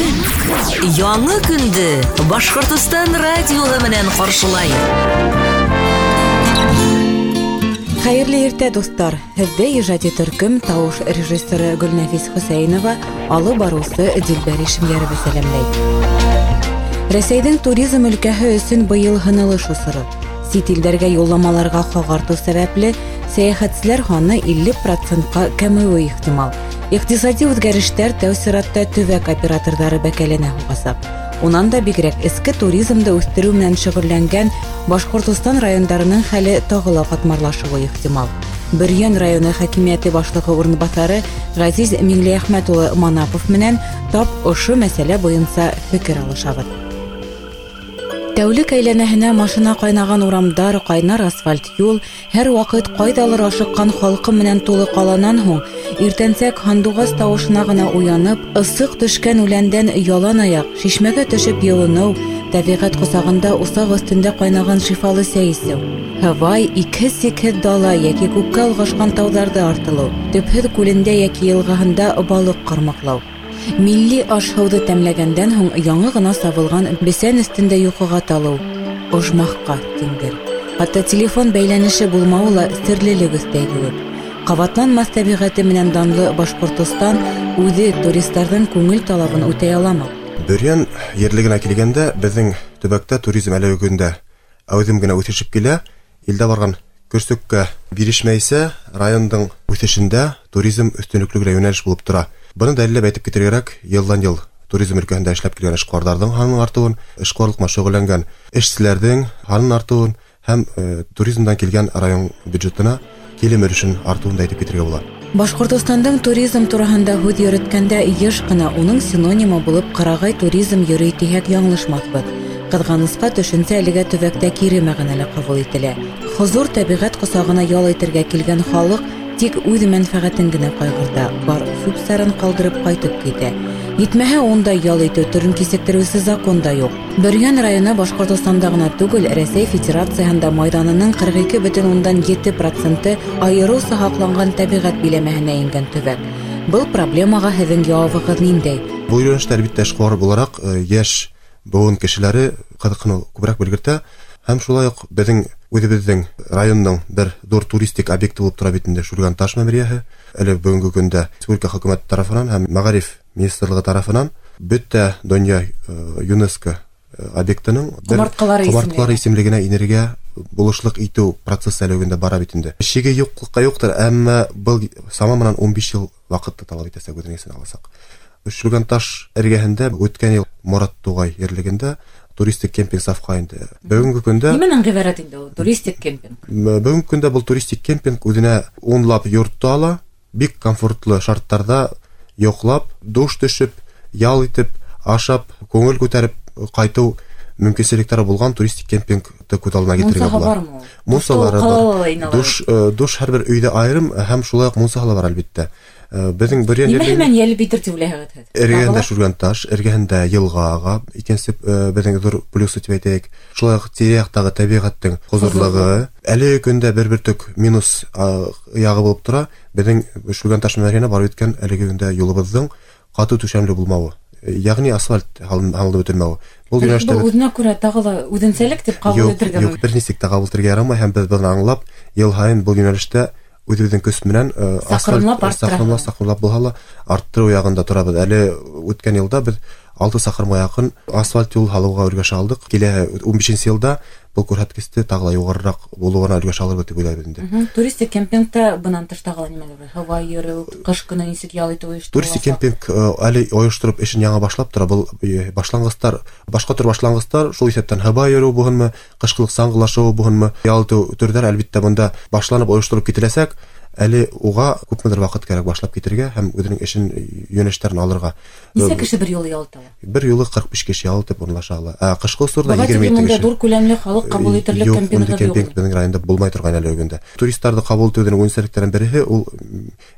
Көн. Яңы көндө Башҡортостан радиоһы менән ҡаршылай. Хәйерле иртә, дуҫтар! Һеҙҙе ижади төркөм тауыш режиссеры Гөлнәфис Хөсәйенова, алып барыусы Дилбәр Ишемйәрова сәләмләй. Рәсәйҙең туризм өлкәһе өсөн быйыл һынылыш осоро. Сит илдәргә юлламаларға хаҡ артыу сәбәпле сәйәхәтселәр һаны 50%-ҡа кәмеүе ихтимал. Иҡтисади үҙгәрештәр тәү сиратта төбәк операторҙары бәкәленә һуғасаҡ. Унан да бигерәк эске туризмды үҫтереү менән шөғөлләнгән Башҡортостан райондарының хәле тағы ла ҡатмарлашыуы ихтимал. Бөрйән районы хакимиәте башлығы урынбаҫары Ғәзиз Миңлеәхмәт улы Манапов менән тап ошо мәсьәлә буйынса фекер алышабыҙ. Тәүлек әйләнәһенә машина ҡайнаған урамдар, ҡайнар асфальт юл, һәр ваҡыт ҡайҙалыр ашыҡҡан халҡы менән тулы ҡаланан һуң иртәнсәк һандуғас тауышына ғына уянып, ысыҡ төшкән үләндән ялан аяҡ шишмәгә төшөп йылыныу, тәбиғәт ҡосағында усаҡ өҫтөндә ҡайнаған шифалы сәй эсеү, һывай, икһеҙ-сикһеҙ дала йәки күккә олғашҡан тауҙарҙы артылыу, төпһөҙ күлендә йәки йылғаһында балыҡ ҡармаҡлау. Милли аш-һыуҙы тәмләгәндән һуң яңы ғына сабылған бесән өҫтөндә йоҡоға талыу ожмахҡа тиңдер. Хатта телефон бәйләнеше булмауы ла серлелек өҫтәй кеүек. Ҡабатланмаҫ тәбиғәте менән данлы Башҡортостан үҙе туристарҙың күңел талабын үтәй аламы? Бөрйән ерлегенә килгәндә, беҙҙең төбәктә туризм әлеге көндә әүҙем генә үҫешеп килә. Илдә барған көрсөккә бирешмәйсә, райондың үҫешендә туризм өҫтөнлөклө генә йүнәлеш булып тора. Быны дәлилләп әйтеп китергә кәрәк, йылдан йыл туризм өлкәһендә эшләп килгән эшҡыуарҙарҙың һанының артыуын, эшҡыуарлыҡ менән шөғөлләнгән эшселәрҙең һанын артыуын һәм туризмдан килгән район бюджетына килем өлөшөн артыуын да әйтеп китергә була. Башҡортостандың туризм тураһында һүҙ йөрөткәндә йыш ҡына уның синонимы булып ҡырағай туризм йөрөй тиһәк яңылышмаҫбыҙ. Ҡыҙғанысҡа, төшөнсә әлегә төбәктә кире мәғәнәлә ҡабул ителә. Хозур тәбиғәт ҡосағына ял итергә килгән халыҡ тик үҙ мәнфәғәтен генә ҡайғырта, бар сүп-сарын ҡалдырып ҡайтып китә. Етмәһә, унда ял итеү төрөн кисектереүсе закон да юҡ. Бөрйән районы Башҡортостанда ғына түгел, Рәсәй Федерацияһында майҙанының 42,7% айырыуса һаҡланған тәбиғәт биләмәһенә ингән төбәк. Был проблемаға һеҙҙең яуабығыҙ ниндәй? Был йүнәлештә, әлбиттә, эшҡыуар булараҡ, йәш быуын кешеләре ҡыҙыҡһыныу күберәк белгертә. Һәм шулай уҡ беҙҙең үҙебеҙҙең районның бер ҙур туристик объекты булып тора бит инде Шүлгән таш мәмерйәһе. Әле бөгөнгө көндә республика хөкүмәте тарафынан һәм мәғариф министрлығы тарафынан бөтә донъя ЮНЕСКО объектының бер Ҡомартҡылары ҡомартҡылары исемлегенә инергә булышлыҡ итеү процессы әле бөгөндә бара бит инде. Шиге юҡлыҡҡа юҡтыр, әммә был сама менән 15 йыл ваҡытты талап итәсәк, үҙенең иҫенә аласаҡ. Шүлгән таш эргәһендә үткән йыл Морат туғай ерлегендә туристик кемпинг сафҡа инде. Бөгөнгө көндә Нимәнән ғибәрәт инде ул туристик кемпинг? Бөгөнгө көндә был туристик кемпинг үҙенә унлап йортто ала, бик комфортлы шарттарҙа йоҡлап, душ төшөп, ял итеп, ашап, күңел күтәреп ҡайтыу мөмкинселектәре булған туристик кемпингты күҙ алдына килтерергә Мунсаһы була. бармы ул? Мунсалары Душ бар. ҡалала ла инә алар. Душ һәр бер өйҙә айырым һәм шулай уҡ мунсаһы ла бар, әлбиттә. Беҙҙең Бөрйән Нимә ерлегендә менән йәлеп итер тип уйлайһығыҙ һеҙ? Эргәһендә Тағы ла? Шүлгән таш, эргәһендә йылға аға, икенсе, беҙҙең ҙур плюсы тип әйтәйек. Шулай уҡ тирә-яҡтағы тәбиғәттең хозурлығы. Әлеге көндә бер бөртөк минус, яғы булып тора. Беҙҙең Шүлгән таш мәмерйәһенә барып еткән әлеге көндә юлыбыҙҙың ҡаты түшәмле булмауы, ягъни асфальт һалынып бөтөлмәүе. Был Был йүнәлештә беҙ үҙенә күрә тағы ла үҙенсәлек тип ҡабул Юҡ, итергә юҡ, мөмкин. бер нисек тә ҡабул итергә ярамай, һәм беҙ быны аңлап, йыл һайын был йүнәлештә үҙебеҙҙең көс менән асфальт Саҡрымлап арттыра. саҡрымлап булһа ла арттырыу яғында торабыҙ. Әле үткән йылда беҙ 6 саҡрымға яҡын асфальт юл һалыуға өлгәшә алдыҡ. Киләһе ун бишенсе йылда был күрһәткесте тағы ла юғарыраҡ булыуына өлгәшә алырбыҙ тип уйлайбыҙ инде. Туристик кемпингта бынан тыш тағы ла нимәләр бар? Һыуға йөрөү, ҡыш көнө нисек ял итеү ойошторола? Туристик кемпинг әле ойоштороп эшен яңы башлап тора. Был башланғыстар, башҡа төр башланғыстар, шул иҫәптән һыуға йөрөү булһынмы, ҡышҡылыҡ саңғылашыу булһынмы, ял итеү төрҙәр әлбиттә бында башланып ойоштороп кителәсәк. Әле уға күпмелер ваҡыт кәрәк башлап китергә һәм үҙенең эшен йүнәлештәрен алырға. Нисә кеше бер юлы ял итә ала? Бер юлы 45 кеше ял итеп урынлаша ала. Ә ҡышҡы осорҙа Быға егерме тиклем ете унда кеше. ҙур күләмле халыҡ ҡабул итерлек Юҡ, кемпингы ундай юҡ. кемпинг беҙҙең районда булмай торған әле бөгөндә. Туристарҙы ҡабул итеүҙең үҙенсәлектәренең береһе ул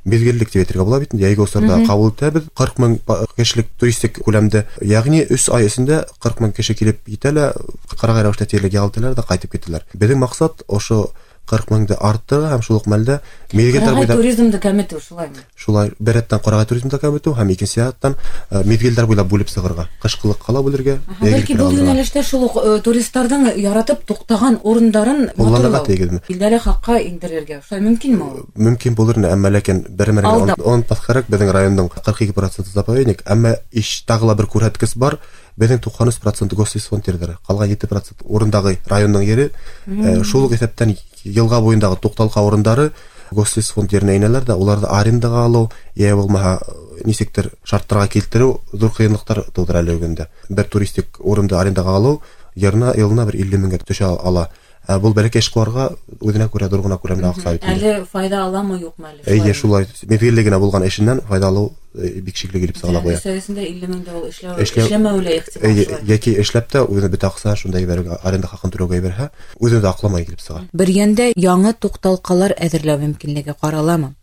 миҙгеллек тип әйтергә була бит инде. Йәйге осорҙа ҡабул итәбеҙ 40 мең кешелек туристик күләмдә, ягъни 3 ай эсендә 40 мең кеше килеп етә лә, ҡырағай рәүештә тиерлек ял итәләр ҙә ҡайтып китәләр. Беҙҙең маҡсат ошо 40 меңде арттырырға һәм шул уҡ мәлдә миҙгелдәр буйлап туризмды кәметеү, шулаймы? Шулай, бер рәттән ҡарағай туризмды кәметеү һәм икенсе яҡтан миҙгелдәр буйлап бүлеп сығырға, ҡышҡылыҡҡа ла бүлергә. Бәлки был йүнәлештә шул уҡ туристарҙың яратып туҡтаған урындарын ҡулланырға тейешме? Билдәле хаҡҡа индерергә. Шулай мөмкинме ул? Мөмкин булыр ине, әммә ләкин бер мәлгә онотмаҫ кәрәк, беҙҙең райондың 42% заповедник, әммә тағы ла бер күрһәткес бар. Беҙҙең 93% гослесфонд ерҙәре, ҡалған 7% урындағы райондың ере. Шул уҡ иҫәптән йылға буйындағы туҡталҡа урындары гослесфонд еренә инәләр ҙә, уларҙы арендаға алыу, йә булмаһа нисектер шарттарға килтереү ҙур ҡыйынлыҡтар тыуҙыра әле бөгөндә. Бер туристик урынды арендаға алыу йылына бер 50 меңгә төшә ала. Был бәләкәй эшҡыуарға үҙенә күрә ҙур ғына күләмле аҡса бит. Әле файда аламы, юҡмы әле? Эйе, шулай. Миҙгелле генә булған эшенән файҙа алыу бик шикле килеп сыға ла ҡуя. Өҫтәүесендә 50 мең дә ул эшләмәүе лә ихтимал. Эйе, йәки эшләп тә үҙенең бөтә аҡсаһын шунда ебәрергә, аренда хаҡын түләүгә ебәрһә, үҙен дә аҡламай килеп сыға. Бөрйәндә яңы туҡталҡалар әҙерләү мөмкинлеге ҡараламы?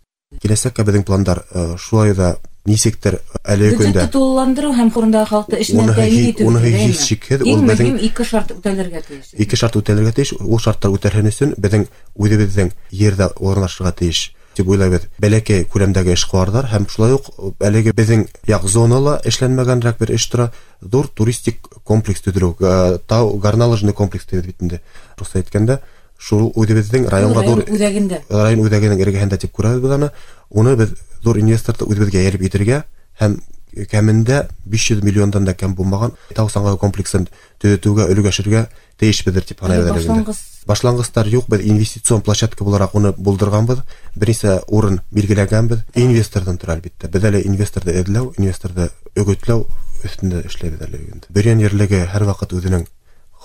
Киләсәккә беҙҙең пландар шулай ҙа нисектер әлеге көндә бюджетты тулыландырыу һәм урындағы халыҡты эш менән тәьмин итеү. Уныһы һис шикһеҙ, ул беҙҙең ике шарт үтәлергә тейеш. Ике шарт үтәлергә тейеш. Ул шарттар үтәлһен өсөн беҙҙең үҙебеҙҙең ерҙә урынлашырға тейеш тип уйлайбыҙ. Бәләкәй күләмдәге эшҡыуарҙар һәм шулай уҡ әлеге беҙҙең яҡ зонала эшләнмәгәнерәк бер эш тора, ҙур туристик комплекс төҙөлөү, тау горнолыжный комплекс тибеҙ бит инде. Русса әйткәндә, шул үҙебеҙҙең районға ҙур үҙәгендә, район үҙәгенең эргәһендә тип күрәбеҙ беҙ аны. Уны беҙ ҙур инвесторҙы үҙебеҙгә йәлеп итергә һәм кәмендә 500 миллиондан да кәм булмаған тау саңғы комплексын төҙөтөүгә өлгәшергә тейешбеҙҙер тип һанайбыҙ әле. Башланғыстар юҡ, беҙ инвестицион площадка булараҡ уны булдырғанбыҙ, бер нисә урын билгеләгәнбеҙ. Инвесторҙан тора әлбиттә. Беҙ әле инвесторҙы эҙләү, инвесторҙы өгөтләү өҫтөндә эшләйбеҙ әле инде. Бөрйән ерлеге һәр ваҡыт үҙенең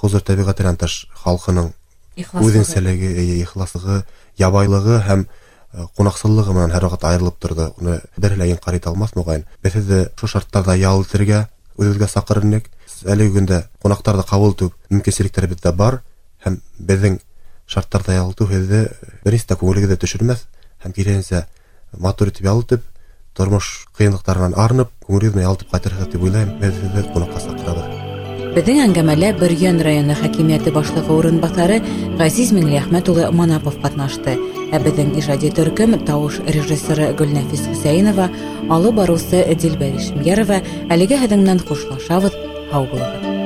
хозур тәбиғәтенән тыш халҡының үҙенсәлеге, ихласлығы, ябайлығы һәм ҡунаҡсыллығы менән һәр ваҡыт айырылып торҙо. Уны береһе лә инҡар итә алмаҫ, моғайын. Беҙ һеҙҙе шул шарттарҙа ял итергә үҙебеҙгә саҡырыр инек. Әлеге көндә ҡунаҡтарҙы ҡабул итеү мөмкинселектәре беҙҙә бар һәм беҙҙең шарттарҙа ял итеү һеҙҙе бер нисә күңелегеҙҙе төшөрмәҫ һәм киреһенсә матур итеп ял итеп, тормош ҡыйынлыҡтарынан арынып, күңелегеҙ менән ял итеп ҡайтырһығыҙ тип уйлайым. Беҙ һеҙҙе ҡунаҡҡа саҡырабыҙ. Беҙҙең әңгәмәлә Бөрйән районы хакимиәте башлығы урынбаҫары Ғәзиз Миңлеәхмәт улы Манапов ҡатнашты. Ә беҙҙең ижади төркөм тауыш режиссеры Гөлнәфис Хөсәйенова, алып барыусы Дилбәр Ишемйәрова. Әлегә һеҙҙең менән хушлашабыҙ. Һау булығыҙ.